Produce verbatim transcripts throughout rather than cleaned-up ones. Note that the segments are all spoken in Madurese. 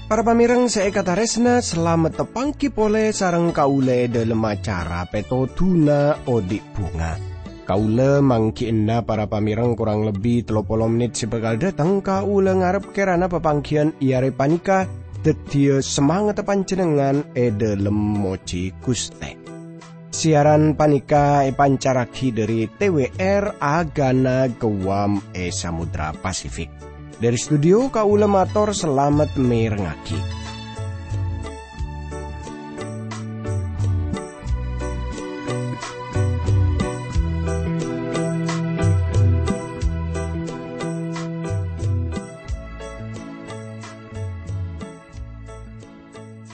Para pamèrèng sè èkatarèsna, salamet tapangghi polè sareng kaulâ è dhâlem acara Pètodhuna Odi' Bhunga. Kaulâ mangghi'ânna para pamèrèng korang lebbi tello polo mennit sè bhâkal dâteng. Kaulâ ngarep kèrana papangghiyân è arè panèka dhâddhiyâ samangatta panjhennengngan è dhâlem mojhi Ghustè. Siyaran panèka èpancarraghi dhâri T W R Agana Guam è Samudra Pasifik. Dhâri studio kaulâ mator salamet mèrengngaghi.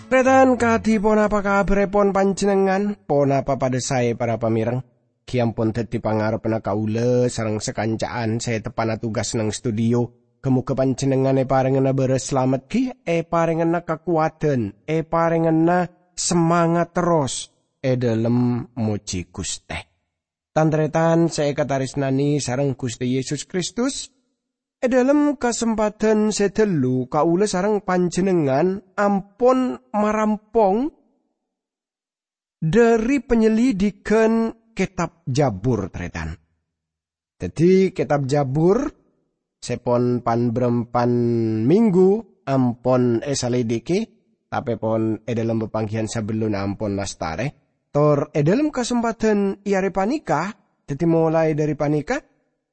Tarètan, kadhi ponapa kabhârrèpon panjhennengngan? Ponapa padâ saè, para pamèrèng? Ghi ampon dhâddhi pangarebbhâ kaulâ sareng sakanca'an sè teppa'na tugas neng studio. Ghâ-mogâ panjhennengngan èparèngana bârâs salamet ghi, èparèngana kakowadhân, èparèngana samangat terros è dhâlem mojhi Ghustè. Tan-tarètan sè èkatarèsnanè sareng Ghustè Yesus Kristus, è dhâlem kasempadhân sè dâllu kaulâ sareng panjhennengngan ampon marampong dhâri panyelidhighân Kètab Jabur, tarètan. Dhâddhi, Kètab Jabur sè pon pan-bârâmpan minggu ampon èsalidhiki, tapè pon è dhâlem papangghiyân sabellunna ampon lastarè. Tor è dhâlem kasempadhân è arè panèka, dhâddhi molaè dhâri panèka,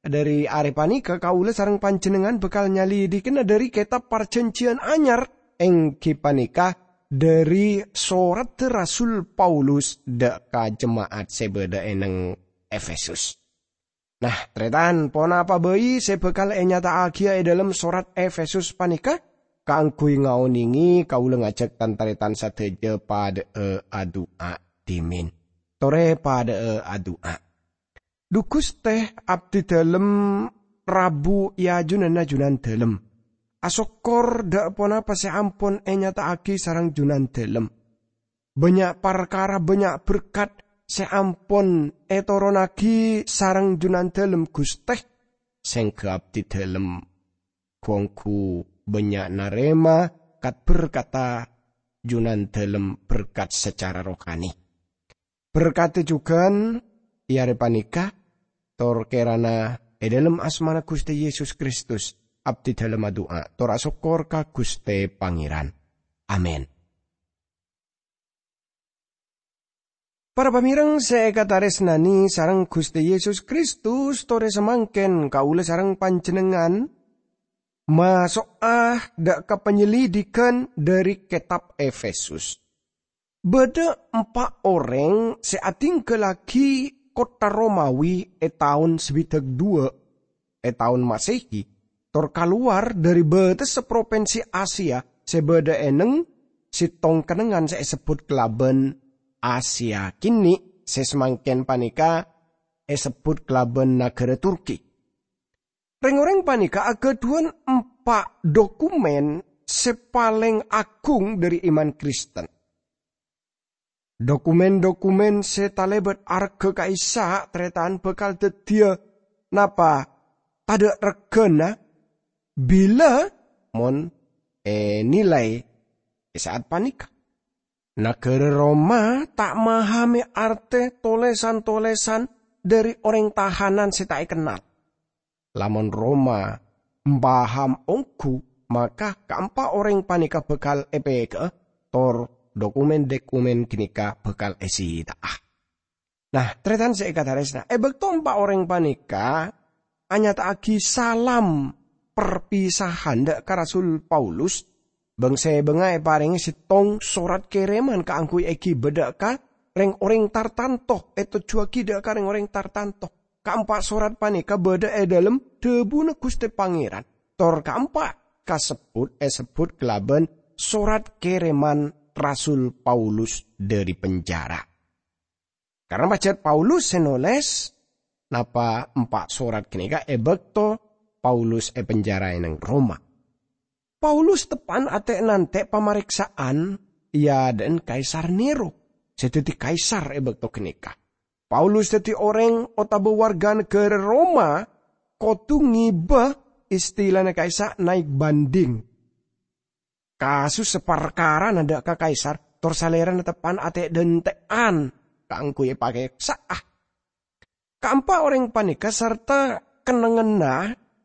dhâri arè panèka kaulâ sareng panjhennengngan bhâkal nyalidhikana dhâri Kètab Parjhânjhiyân Anyar, èngghi panèka dhâri soradda Rasul Paulus dâ' ka jema'at sè bâdâ è neng Efesus. Nah, tarètan, ponapa bhâi sè bhâkal ènyata'aghiyâ è dhâlem sorat Efesus panèka? Kaangghuy ngaonèngè, kaulâ ngajhâk tan-tarètan sadhâjâ padâ'â adu'a dhimèn. Torè padâ'â adu'a. Dhu Ghustè, abdhi dhâlem rabu è ajunanna Junandhâlem. Asokkor dâ' ponapa sè ampon ènyata'aghi sareng Junandhâlem. Bânnya' parkara, bânnya' berkat sè ampon ètoronnaghi sareng Junandhâlem, Ghustè. Sèngghâ abdhi dhâlem ghu-ongghu bânnya' narèma kat-berkatta Junandhâlem, berkat sacara rohani. Berkadhi jhughân è arè panèka, tor kèrana è dhâlem asmana Ghustè Yesus Kristus, abdhi dhâlem adu'a, tor asokkor ka Ghustè Pangèran. Amin. Para pamèrèng sè èkatarèsnanè sareng Ghustè Yesus Kristus, torè samangkèn kaulâ sareng panjhennengngan maso'a dâ' ka panyelidhighân dhâri Kètab Efesus. Bâdâ empa' orèng sè adhingghâllaghi kottha Romawi è taon sabidhâk duwâ' è taon Masehi, tor kalowar dhâri bâtessa propinsi Asia sè bâdâ è neng sèttong kennengngan sè èsebbhut kalabân Asia Kènè', sè samangkèn panèka èsebbhut kalabân naghârâ Turki. Rèng-orèng panèka aghâdhuwân empa' dhokumèn sè palèng aghung dhâri iman Kristen. Dhokumèn-dhokumèn sè talèbât arghâ ka'issa', tarètan, bhâkal dhâddhiyâ napa tadâ' règhâna bilâ mon ènilai è sa'at panèka. Naghârâ Roma ta' mahamè artè tolèsan-tolèsan dhâri orèng tahanan sè ta' èkennal. Lamon Roma mpaham ongghu, maka kaempa' orèng panèka bhâkal èpèka'a, tor dhokumèn-dhokumèn ghânèka bhâkal èsita'a. Nah, tarètan sè èkatarèsna, è bâkto empa' orèng panèka anyata'aghi salam perpisahan dâ' ka Rasul Paulus, bâng-sèbângnga èparèngè sèttong sorat kèrèman kaangghuy èghibâ dâ' ka rèng-orèng tartanto, ètojjhuwâghi dâ' ka rèng-orèng tartanto. Kaempa' sorat panèka bâdâ è dhâlem dhâbuna Ghustè Pangèran. Tor kaempa' kasebbhut èsebbhut kalabân sorat kèrèman Rasul Paulus dhâri penjara. Karna pajhât Paulus sè nolès, napa empa' sorat ghânèka è bâkto Paulus è penjara è neng Roma. Paulus teppa'na atè'-nantè' pamarèksa'an èadhâ'ân Kaisar Nero, sè dhâddhi kaisar è bâkto ghânèka. Paulus dhâddhi orèng otabâ warga naghârâ Roma kodhu ngibâ istilana ka'issa' naèk bhândhing. Kasus saparkarana dâ' ka kaisar, tor salèrana teppa'na atè'-dhântè'an kaangghuy èpakèksa'a. Kaempa' orèng panèka sarta kennengnganna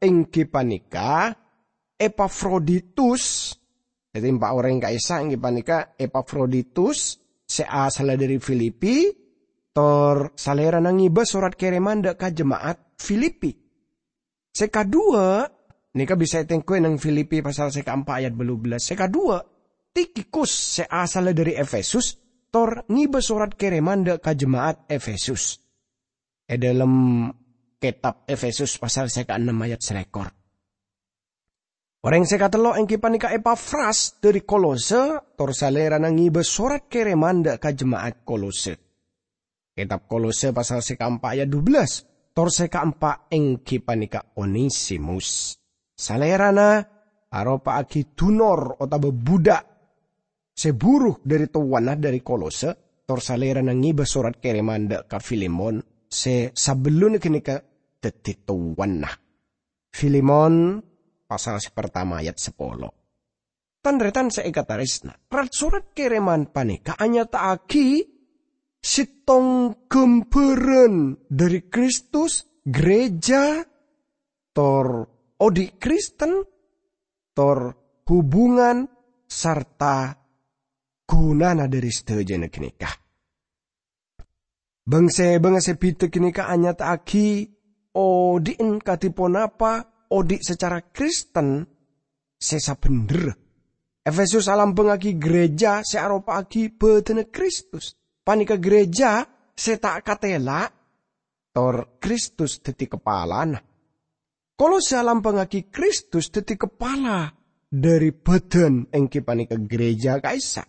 èngghi panèka Epafroditus. Dhâddhi, empa' orèng ka'issa' èngghi panèka Epafroditus sè asalla dhâri Filipi, tor salèrana ngibâ sorat kèrèman dâ' ka jema'at Filipi. Sè kaduwâ', nèka bisa ètengghuwâ neng Filipi pasal sè kaempa' ayat bâllu bellâs. Sè kaduwâ', Tikhikus sè asalla dhâri Efesus, tor ngibâ sorat kèrèman dâ' ka jema'at Efesus. È dhâlem kètab Efesus pasal sè kaennem ayat salèkor. Orèng sè katello' èngghi panèka Epafras dhâri Kolose, tor salèrana ngibâ sorat kèrèman dâ' ka jema'at Kolose. Kètab Kolose pasal sè kaempa' ayat dubellâs, tor sè kaempa' èngghi panèka Onesimus. Salèrana aropa'aghi dunor otabâ bhudhâk sè buru dhâri towana dhâri Kolose, tor salèrana ngibâ sorat kèrèman dâ' ka Filemon sè sabellunna ghânèka dhâddhi towana. Filemon, pasal sè partama ayat sapolo. Tan-tarètan sè èkatarèsna, rat-sorat kèrèman panèka anyata'aghi sèttong ghâmbhârân dhâri Kristus, ghârèjâ, tor odi' Kristen, tor hubungan sarta ghunana dhâri sadhâjâna ghânèka. Bâng-sèbângnga sè bhidhâ ghânèka anyata'aghi odi'en kadhi ponapa odi' sacara Kristen sè sabhendherra. Efesus alambhângaghi ghârèjâ sè aropa'aghi bhâdhânna Kristus. Panèka ghârèjâ sè ta' katèla', tor Kristus dhâddhi kapalana. Kolose alambhângaghi Kristus dhâddhi kapala dhâri bhâdhân, èngghi panèka ghârèjâ ka'issa'.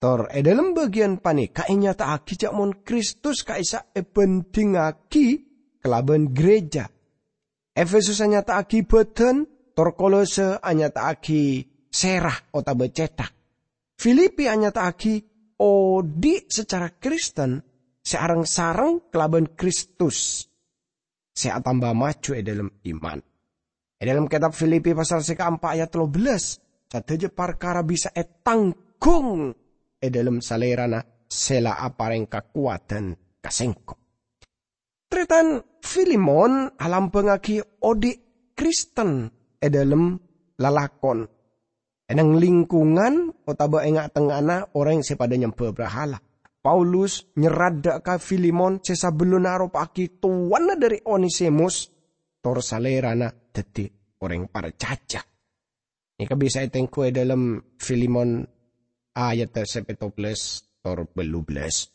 Tor è dhâlem bâgiyân panèka ènyata'aghi jhâ' mon Kristus ka'issa' èbhândhingngaghi kalabân ghârèjâ. Efesus anyata'aghi bhâdhân, tor Kolose anyata'aghi sèra otabâ cèthak. Filipi anyata'aghi odi' sacara Kristen sè areng-sareng kalabân Kristus sè atamba maju è dhâlem iman. È dhâlem kètab Filipi pasal sè kaempa' ayat tello bellâs, sadhâjâ parkara bisa ètangghung è dhâlem Salèrana sè la aparèng kakowadhân ka sèngko'. Tarètan, Filemon alambhângaghi odi' Kristen è dhâlem lalakon. È neng lingkungan otabâ è nga'-tengnga'anna orèng sè padâ nyembhâ brahala, Paulus nyerrat dâ' ka Filemon sè sabellunna aropa'aghi towana dhâri Onesimus, tor salèrana dhâddhi orèng parcajâ. Nèka bisa ètengghu è dhâlem Filemon ayat sè pètto bellâs tor bâllu bellâs.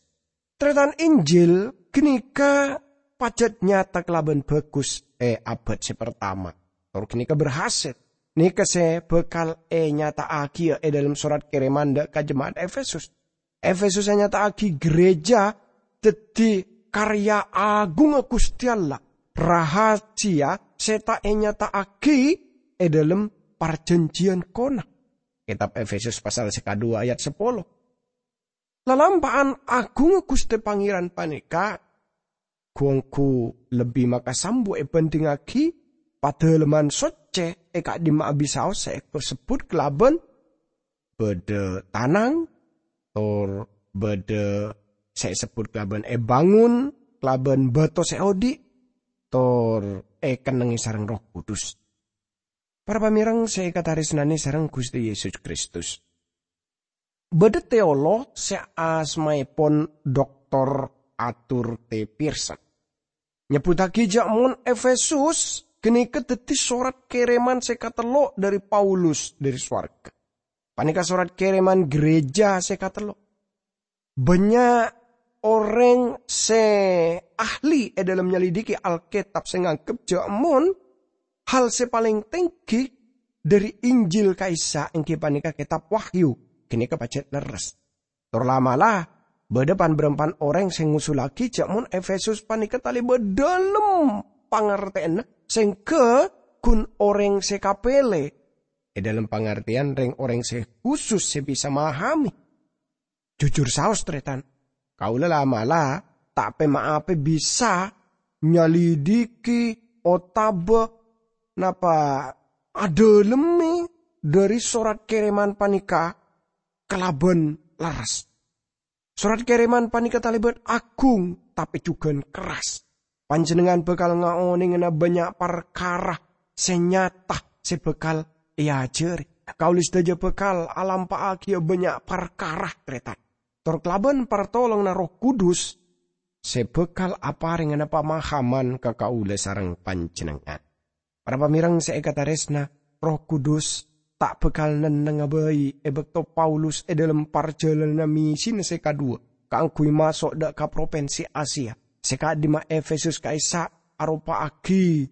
Tarètan, Injil ghânèka pajhât nyata kalabân bhâghus è abad sè partama, tor ghânèka berhasil. Nèka sè bhâkal ènyata'aghiyâ è dhâlem sorat kèrèman dâ' ka jema'at Efesus. Efesus ènyata'aghi ghârèjâ dhâddhi karya aghungnga Ghustè Allah, rahasiya sè ta' ènyata'aghi è dhâlem parjhânjhiyân kona. Kètab Efesus pasal sè kaduwâ ayat sapolo. Lalampa'an aghungnga Ghustè Pangèran panèka ghu-ongghu lebbi makasambu èbhândhingngaghi padâlemman soccè è ka'dimma'a bisaos sè èkasebbhut kalabân bâdâ tanang, tor bâdâ sè èsebbhut kalabân èbângon kalabân bâto sè odi', tor èkennengngè sareng Erroh Kudus. Para pamèreng sè èkatarèsnanè sareng Ghustè Yesus Kristus. Bâdâ teolog sè asmaèpon Doktor Arthur T. Pearson nyebbhuttaghi jhâ' mon Efesus ghânèka dhâddhi sorat kèrèman sè katello' dhâri Paulus dhâri sowarghâ. Panèka sorat kèrèman ghârèjâ sè katello'. Bânnya' orèng sè ahli è dhâlem nyalidiki Alkètab sè nganggep jhâ' mon hal sè palèng tèngghi dhâri Injil ka'issa' èngghi panèka kètab Wahyu, ghânèka pajhât lerres. Tor la'-mala', bâdâ pan-bârâmpan orèng sè ngosullaghi jhâ' mon Efesus panèka talèbât dhâlem pangartèyanna sèngghâ ghun orèng sè kapèlè. è dhâlem pangartèyan rèng-orèng sè khusus sè bisa mahami. Jujur saos, tarètan, kaulâ la'-mala' ta' pè-ma'apè bisa nyalidiki otabâ napa adhâlemmè dhâri sorat kèrèman panèka kalabân lerres. Sorat kèrèman panèka talèbât agung, tapè jhughân kerras. Panjhennengngan bhâkal ngaonèngana bânnya' parkara sè nyata sè bhâkal èajhâri. Kaulâ sadhâjâ bhâkal alampa'aghiyâ bânnya' parkara, tarètan. Tor kalabân partolonganna Erroh Kudus sè bhâkal aparèngana pamahaman ka kaulâ sareng panjhennengngan. Para pamèreng sè èkatarèsna, Erroh Kudus ta' bhâkal nennengnga bhâi è bâkto Paulus è dhâlem parjhâlânanna missina sè kaduwâ' kaangghuy maso' dhâ' ka propinsi Asia, sè ka'dimma Efesus ka'issa' aropa'aghi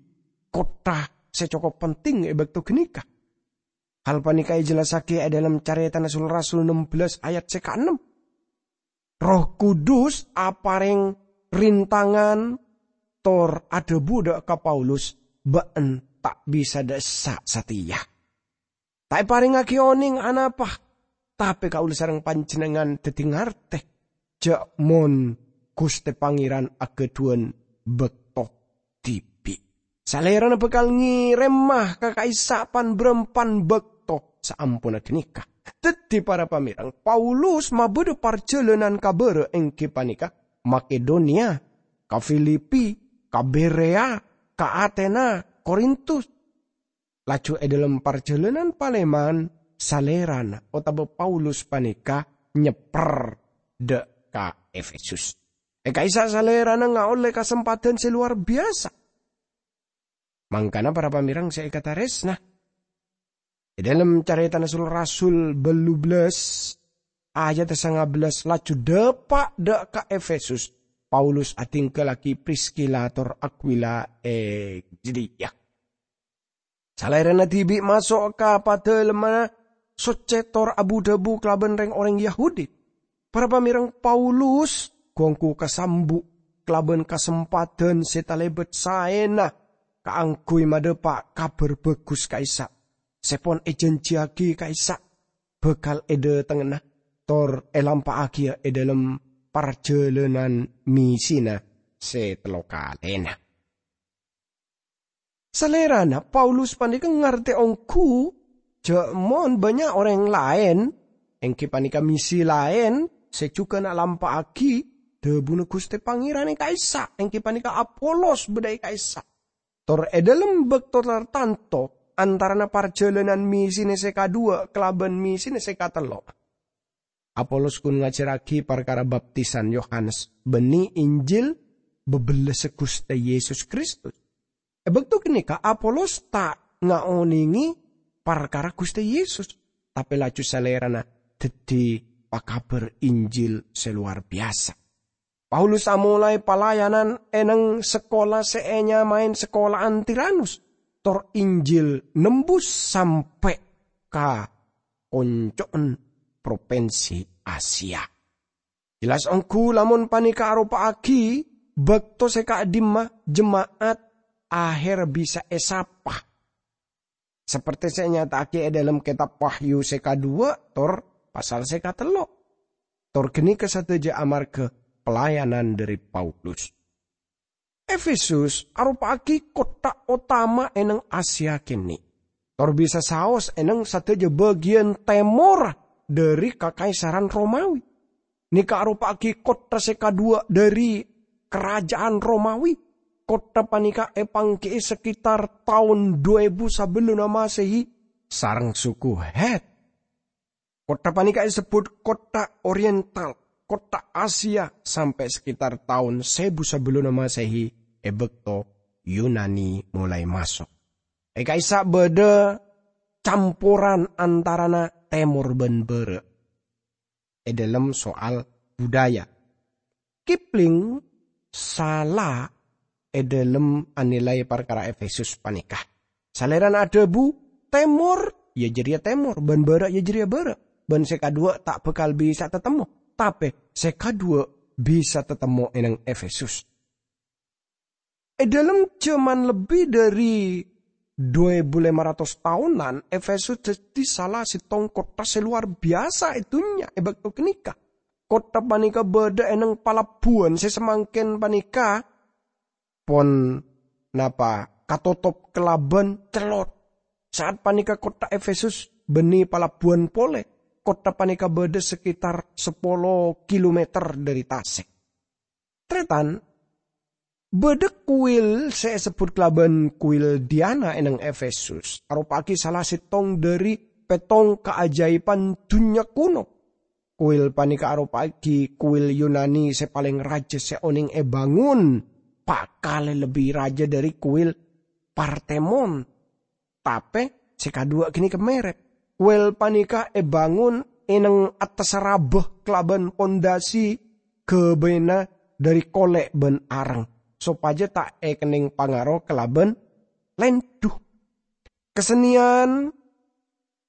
kottha sè cokop penting è bâkto ghânèka. Hal panèka èjellassaghi è dhâlem Carètana Sul-Rasul nem bellâs ayat sè kaennem. Erroh Kudus aparèng rintangan tor adhâbu dhâ' ka Paulus, "Bâ'na ta' bisa dhâ' essa' satèya. Ta' èparèngaghi onèng anapa, tapè kaulâ sareng panjhennengngan dhâddhi ngartè jhâ' mon Ghustè Pangèran aghâdhuwân bâkto dhibi'. Salèrana bhâkal ngèrèma ka ka'issa' pan-bârâmpan bâkto saamponna ghânèka." Dhâddhi, para pamèreng, Paulus mabâdâ parjhâlânan ka bârâ', èngghi panèka Makedoniya, ka Filipi, ka Bereya, ka Atena, Korintus. Laju è dhâlem parjhâlânan palèman, salèrana otabâ Paulus panèka nyèpper dhâ' ka Efesus. È ka'issa' salèrana ngaollè kasempadhân sè lowar biyasa. Mangkana, para pamèreng sè èkatarèsna, è dhâlem Carètana Sul-Rasul bâllu bellâs, ayat sanga bellâs, laju dâpa' dhâ' ka Efesus, Paulus adhingghâllaghi Priskila tor Akwila è jâdiyâ. Salèrana dhibi' maso' ka Padâlemmanna Soccè tor abu-dhâbu kalabân rèng-orèng Yahudi. Para pamèreng, Paulus ghu-ongghu kasambu' kalabân kasempadhân sè talèbât saèna kaangghuy madhâpa' Kabhâr Bhâghus ka'issa' sè pon èjhânjhiyaghi ka'issa' bhâkal èdhâtengngana tor èlampa'aghiyâ è dhâlem parjhâlânan missina sè tello kalèna. Salèrana Paulus panèka ngartè ongghu jhâ' mon bânnya' orèng laèn, èngghi panèka misi laèn, sè jhughân alampa'aghi dhâbuna Ghustè Pangèran è ka'issa', èngghi panèka Apolos bâdâ è ka'issa'. Tor è dhâlem bâkto tartanto, antarana parjhâlânan missina sè kaduwâ' kalabân missina sè katello', Apolos ghun ngajhârraghi parkara baptisan Yohanes bânnè Injil bâbellâssa Ghustè Yesus Kristus. È bâkto ghânèka Apolos ta' ngaonèngè parkara Ghustè Yesus, tapè laju salèrana dhâddhi pakabhâr Injil sè lowar biyasa. Paulus amolaè palayanan è neng sakola sè ènyamaè Sakola'an Tiranus, tor Injil nembus sampè' ka konco'en propinsi Asia. Jelas ongghu lamon panèka aropa'aghi bâkto sè ka'dimma jema'at aher bisa èsapa. Sapertè sè ènyata'aghi è dhâlem kètab Wahyu sè kaduwâ' tor pasal sè katello'. Tor ghânèka sadhâjâ amarghâ pelayanan dhâri Paulus. Efesus aropa'aghi kottha otama è neng Asia kènè', tor bisa saos è neng sadhâjâ bâgiyân tèmor dhâri Kakaisaran Romawi. Nèka aropa'aghi kottha sè kaduwâ' dhâri Karaja'an Romawi. Kottha panèka èpangghi'i sakitar taon du èbu sabellunna Masehi sareng suku Het. Kottha panèka èsebbhut kottha Oriental, kottha Asia, sampè' sakitar taon sèbu sabellunna Masehi è bâkto Yunani molaè maso'. È ka'issa' bâdâ camporan antarana tèmor bân bârâ' è dhâlem soal budaya. Kipling sala è dhâlem anilai parkara Efesus panèka. Salèrana adhâbu, "Tèmor, ya jârèya tèmor, bân bârâ', ya jârèya bârâ', bân sè kaduwâ' ta' bhâkal bisa tatemmo." Tapè sè kaduwâ' bisa tatemmo è neng Efesus. È dhâlem jhâman lebbi dhâri dhu èbu lèma ratos taonan, Efesus dhâddhi sala sèttong kottha sè lowar biyasa è dhunnya è bâkto ghânèka. Kottha panèka bâdâ è nèng palabbuwân sè samangkèn panèka pon napa katotop kalabân cellot. Sa'at panèka kottha Efesus bânnè palabbuwân polè. Kottha panèka bâdâ sekitar sapolo kilometer dâri tasè'. Tarètan, bâdâ kuil sè èsebbhut kalabân kuil Diana è nèng Efesus, aropa'aghi sala sèttong dâri pèttong kaajâibhân dhunnya kuno. Kuil panèka aropa'aghi kuil Yunani sè palèng rajâ sè onèng èbângon, pa' kalè lebbi rajâ dâri kuil Partemon. Tapè sè kadhuwâ' ghânèka mèrèp. Kuil panèka èbângon è nèng attassa rabâ kalabân pondasi ghâbâyna dâri kolè' bân areng, sopajâ ta' èkennèng pangaro kalabân lèndhu. Kasennèyan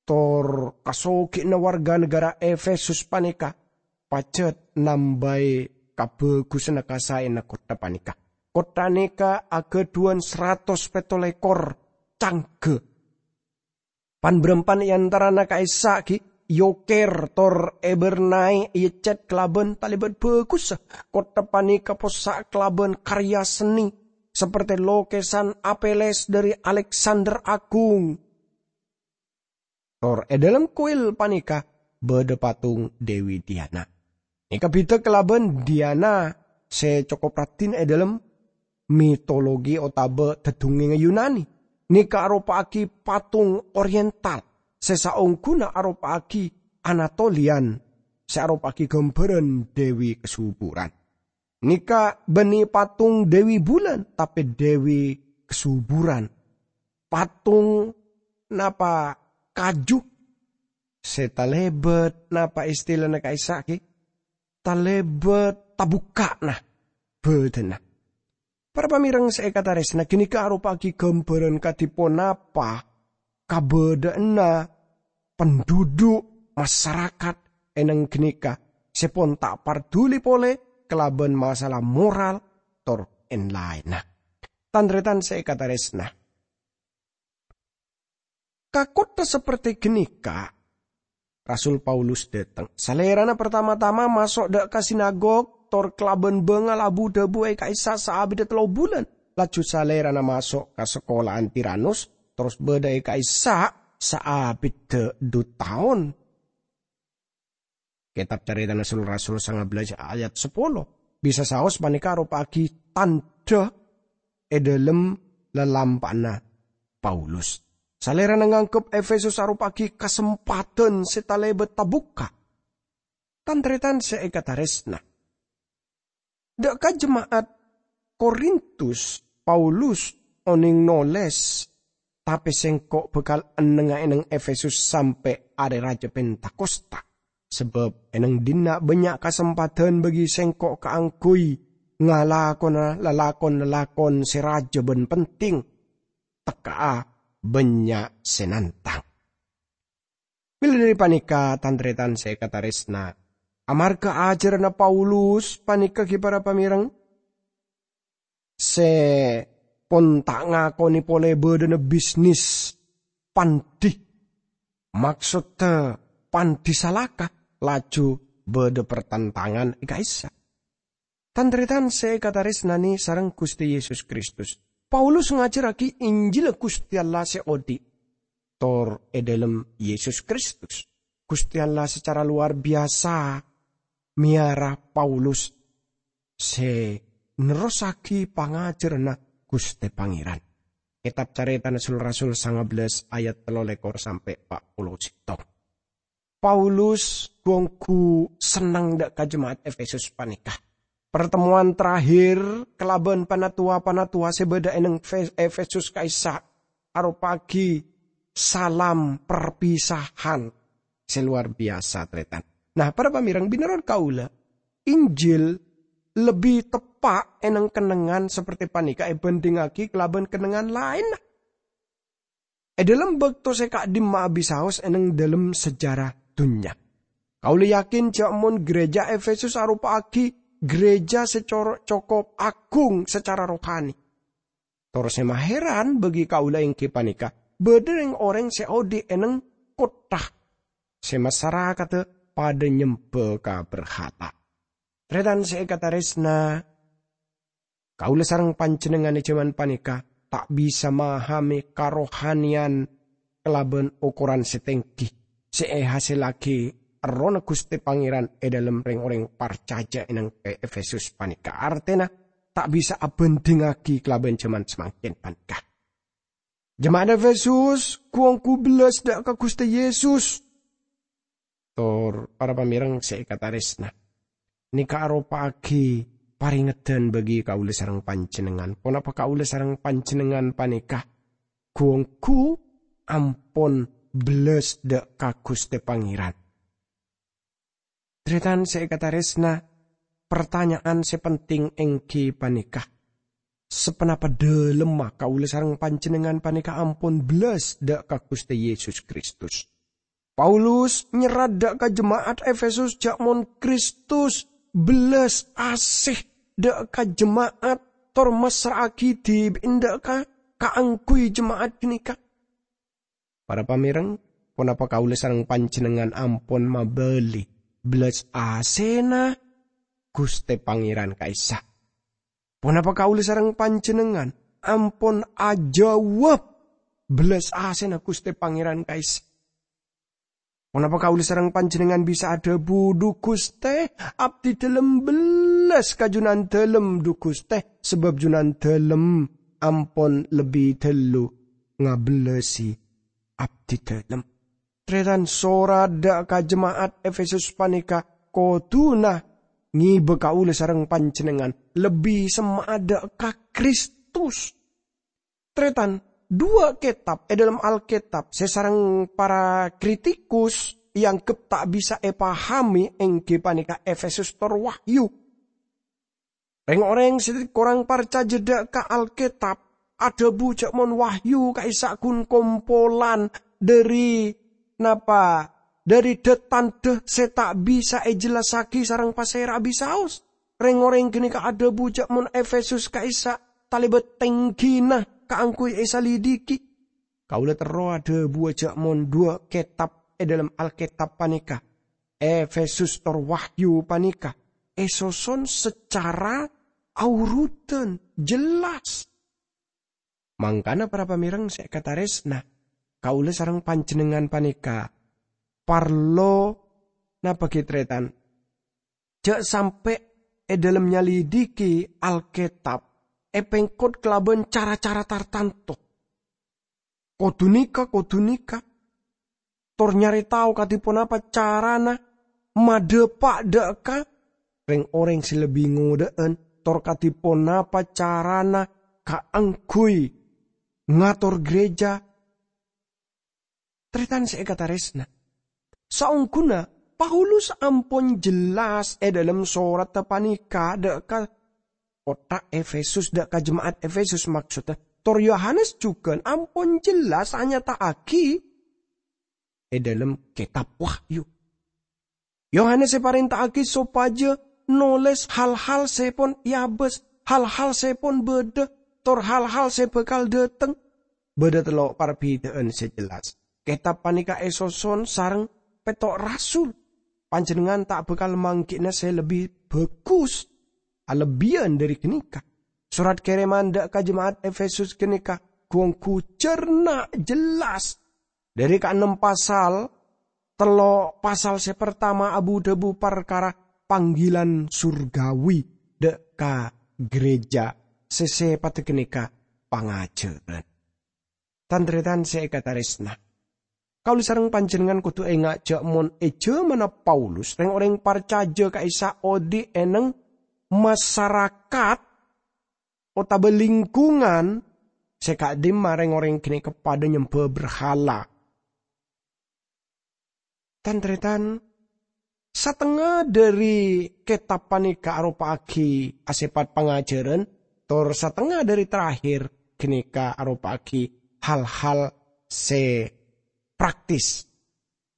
tor kasogi'na warga naghârâ Efesus panèka pajhât nambâi kabhâghusânna kasaèna kottha panèka. Kottha nèka aghâdhuwân saratos pètto lèkor cangghâ. Pan-bârâmpan è antarana ka'issa' ghi' èokèr tor èbârnaè èeccèt kalabân talèbât bhâghussa. Kottha panèka possa' kalabân karya seni, saperte lokèsan Apeles dâri Aleksander Agung. Tor è dâlem kuil panèka bâdâ patung Dewi Diana. Nèka bhidhâ kalabân Diana sè cokop raddhin è dâlem mitologi otabâ dhâdhungngèngnga Yunani. Nèka aropa'aghi patung Oriental sè saongghuna aropa'aghi Anatolian sè aropa'aghi ghâmbhârân Dewi Kasuburan. Nèka bânnè patung Dewi Bulan, tapè Dewi Kasuburan. Patung napa kaju sè talèbât napa istilana ka'issa' ghi? Talèbât tabukka'na bâdâna. Para pamèrèng sè èkatarèsna, ghânèka aropa'aghi ghâmbhârân kadhi ponapa kabâdâ'ânna penduduk masarakat è nèng ghânèka sè pon ta' parduli polè kalabân masalah moral tor èn-laènna. Tan-tarètan sè èkatarèsna, ka kottha saperte ghânèka, Rasul Paulus dâteng. Salèrana partama-tama maso' dâ' ka sinagog, tor kalabân bângal abu-dhâbu è ka'issa' saabidda tello bulân. Laju salèrana maso' ka sakola'an Tiranus, terros bâdâ è ka'issa' saabidda dhu taon. Kètab Carètana Sul-Rasul sanga bellâs ayat sapolo. Bisa saos panèka aropa'aghi tandhâ è dâlem lalampa'anna Paulus. Salèrana nganggep Efesus aropa'aghi kasempadhân sè talèbât tabukka'. Tan-tarètan sè èkatarèsna, dâ' ka jema'at Korintus, Paulus onèng nolès, "Tapè sèngko' bhâkal ennengnga è nèng Efesus sampè' arè rajâ Pentakosta, sabâb è nèng dinna' bânnya' kasempadhân bagi sèngko' kaangghuy ngalakona lalakon-lalakon sè rajâ bân penting. Tekka'a bânnya' sè nantang." Mèla dâri panèka, tan-tarètan sè èkatarèsna, amarghâ ajhârânna Paulus panèka ghi para pamèrèng sè pon ta' ngakonè polè bâdâna bisnis pandi, maksodda pandi salaka, laju bâdâ partantangan è ka'issa'. Tan-tarètan sè èkatarèsnanè sareng Ghustè Yesus Kristus, Paulus ngajhârraghi Injilla Ghustè Allah sè odi', tor è dâlem Yesus Kristus. Ghustè Allah sacara lowar biyasa mèyara Paulus sè nerrossaghi pangajhârânna Ghustè Pangèran. Kètab Carètana Sul-Rasul sanga bellâs ayat tello lèkor sampè' pa' polo sèttong. Paulus ghu-ongghu senneng dâ' ka jema'at Efesus panèka. Partemowan terakhir kalabân panatowa-panatowa sè bâdâ è nèng Fe-, Efesus ka'issa' aropa'aghi salam perpisahan sè lowar biyasa, tarètan. Nah, para pamèrèng, binoron kaulâ, Injil lebbi teppa' è nèng kennengngan saperte panèka èbhândhingngaghi kalabân kennengngan laènna è dâlem bâkto sè ka'dimma'a bisaos è nèng dâlem sejarah dhunnya. Kaulâ yakin jhâ' mon gereja Efesus aropa'aghi gereja sè coro-, cokop agung sacara rohani. Tor sè maheran bagi kaulâ èngghi panèka, bâdâ rèng-orèng sè odi' è neng kottha sè masarakadhâ padâ nyembâ ka berhala. Tarètan sè èkatarèsna, kaulâ sareng panjhennengngan è jhâman panèka ta' bisa mahamè karohaniyan kalabân okoran sè tèngghi sè èhasèllaghi Errohna Ghustè Pangèran è dhâlem rèng-orèng parcajâ è neng è Efesus panèka. Artèna, ta' bisa abhândhingngaghi kalabân jhâman samangkèn panèka. Jema'at Efesus ghu-ongghu bellas dâ' ka Ghustè Yesus. Tor, para pamèreng sè èkatarèsna, nèka aropa'aghi parèngedhân bagi kaulâ sareng panjhennengngan. Ponapa kaulâ sareng panjhennengngan panèka ghu-ongghu ampon bellas dâ' ka Ghustè Pangèran? Tarètan sè èkatarèsna, partanya'an sè penting èngghi panèka, saponapa dhâlemma kaulâ sareng panjhennengngan panèka ampon bellas dâ' ka Ghustè Yesus Kristus? Paulus nyerrat dâ' ka jema'at Efesus jâ' mon Kristus bellas asè dâ' ka jema'at tor massra'aghi dhibi'na dâ' ka, kaangghuy jema'at ghânèka. Para pamèreng, ponapa kaulâ sareng panjhennengngan ampon mabâli bellas asèna Ghustè Pangèran ka'issa'? Ponapa kaulâ sareng panjhennengngan ampon ajâwâb bellas asèna Ghustè Pangèran ka'issa'? Ponapa kaulâ sareng panjhennengngan bisa adhâbu, "Dhu Ghustè, abdhi dhâlem bellas ka Junandhâlem, dhu Ghustè, sabâb Junandhâlem ampon lebbi dâllu ngabellasi abdhi dhâlem"? Tarètan, sorat dâ' ka jema'at Efesus panèka kodhuna ngèbâ kaulâ sareng panjhennengngan lebbi semma'a dâ' ka Kristus. Tarètan, duwâ' kètab è dhâlem Alkètab sè sareng para kritikus èangghep ta' bisa èpahamè èngghi panèka Efesus tor Wahyu. Rèng-orèng sè korang parcajâ dâ' ka Alkètab adhâbu jâ' mon Wahyu ka'issa' ghun kompolan dhâri napa? Dhâri dhâ-tandhâ sè ta' bisa èjellassaghi sareng pasèra bisaos. Rèng-orèng ghânèka adhâbu jâ' mon Efesus ka'issa' talèbât tèngghina kaangghuy èsalidiki. Kaulâ terro adhâbuwâ jâ' mon duwâ' kètab è dhâlem Alkètab panèka, Efesus tor Wahyu panèka, èsoson sacara aurutan, jelas. Mangkana, para pamèreng sè èkatarèsna, kaulâ sareng panjhennengngan panèka parlo napa ghi, tarètan? Jâ' sampè' è dhâlem nyalidiki Alkètab èpèngkot kalabân cara-cara tartanto. Kodhu nèka, kodhu nèka. Tor nyarè tao kadhi ponapa carana madhâpa' dâ' ka rèng-orèng sè lebbi ngodâ'ân, tor kadhi ponapa carana kaangghuy ngator gereja. Tarètan sè èkatarèsna, saongghuna Paulus ampon jelas è dhâlem soratta panèka dâ' ka kottha Efesus, dâ' ka jema'at Efesus maksodda, tor Yohanes jhughân ampon jelas anyata'aghi è dhâlem Kètab Wahyu. Yohanes èparènta'aghi sopajâ nolès hal-hal sè pon èabâs, hal-hal sè pon bâdâ, tor hal-hal sè bhâkal dhâteng. Bâdâ tello' parbhidhâ'ân sè jelas. Kètab panèka èsoson sareng pètto' rasul. Panjhennengngan ta' bhâkal mangghi'na sè lebbi bhâghus alebbiyân dhâri ghânèka. Sorat kèrèman dâ' ka jema'at Efesus ghânèka ghu-ongghu jhârna jelas. Dhâri kaennem pasal, tello' pasal sè partama abu-dhâbu parkara panggilan surgawi dâ' ka gereja sè sèpatta ghânèka pangajhârân. Tan-tarètan sè èkatarèsna, kaulâ sareng panjhennengngan kodhu enga' jâ' mon è jhâmanna Paulus, rèng-orèng parcajâ ka'issa' odi' è neng masarakat otabâ lingkungan sè ka'dimma rèng-orèng ghânèka padâ nyembâ berhala. Tan-tarètan, satengnga dhâri kètab panèka aropa'aghi asèpat pangajhârân, tor satengnga dhâri terakhir ghânèka aropa'aghi hal-hal sè praktis.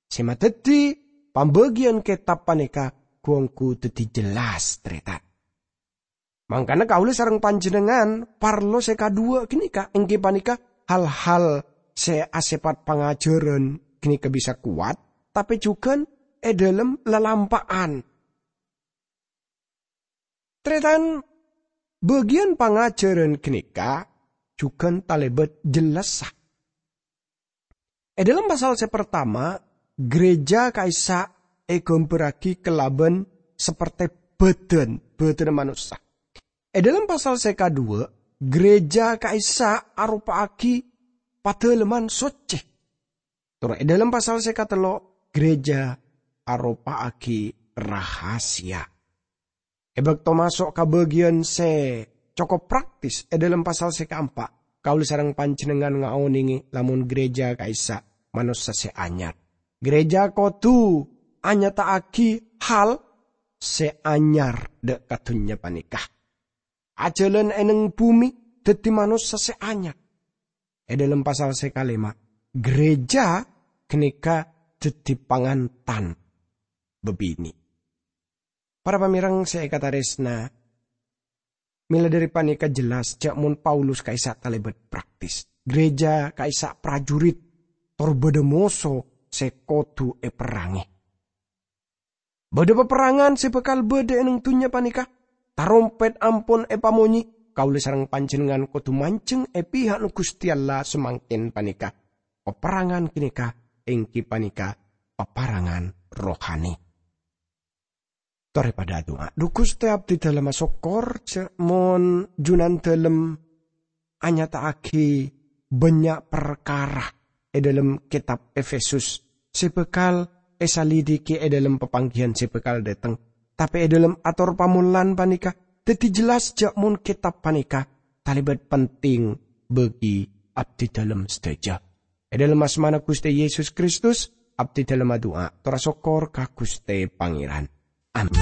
Sè madhâddhi pambâgiyân kètab panèka ghu-ongghu dhâddhi jelas, tarètan. Mangkana kaulâ sareng panjhennengngan parlo sè kadhuwâ' ghânèka, èngghi panèka hal-hal sè asèpat pangajhârân ghânèka bisa kowat, tapè jhughân è dhâlem lalampa'an. Tarètan, bâgiyân pangajhârân ghânèka jhughân talèbât jellassa. È dhâlem pasal sè partama, ghârèjâ ka'issa' èghâmbhârraghi kalabân sapertè bâdân, bâdânna manossa. È dhâlem pasal sè kadhuwâ', ghârèjâ ka'issa' aropa'aghi padâlemman soccè. Tor è dhâlem pasal sè katello', ghârèjâ aropa'aghi rahasia. È bâkto maso' ka bâgiyân sè cokop praktis è dhâlem pasal sè kaempa', kaulâ sareng panjhennengngan ngaonèngè lamon ghârèjâ ka'issa' manossa sè anyar. Ghârèjâ kodhu anyata'aghi hal sè anyar dhâ' ka dhunnya panèka. Ajhâlân è neng bhumè dhâddhi manossa sè anyar. È dhâlem pasal sè kalèma, ghârèjâ ghânèka dhâddhi pangantan bâbinè'. Para pamèreng sè èkatarèsna, mèla dhâri panèka jelas jhâ' mon Paulus ka'issa' talèbât praktis. Ghârèjâ ka'issa' prajurit, tor bâdâ moso sè kodhu èperrangè. Bâdâ paperrangan sè bhâkal bâdâ è neng dhunnya panèka. Tarompet ampon èpamonyè, kaulâ sareng panjhennengngan kodhu manjheng è pihakna Ghustè Allah samangkèn panèka. Paperrangan ghânèka èngghi panèka paperrangan rohani. Torè padâ adu'a. Dhu Ghustè, abdhi dhâlem asokkor jhâ' mon Junandhâlem anyata'aghi bânnya' parkara è dhâlem kètab Efesus sè bhâkal èsalidiki è dhâlem papangghiyân sè bhâkal dâteng. Tapè è dhâlem ator pamollan panèka dhâddhi jelas jhâ' mon kètab panèka talèbât penting bagi abdhi dhâlem sadhâjâ. È dhâlem asmana Ghustè Yesus Kristus, abdhi dhâlem adu'a, tor asokkor ka Ghustè Pangèran. Amin.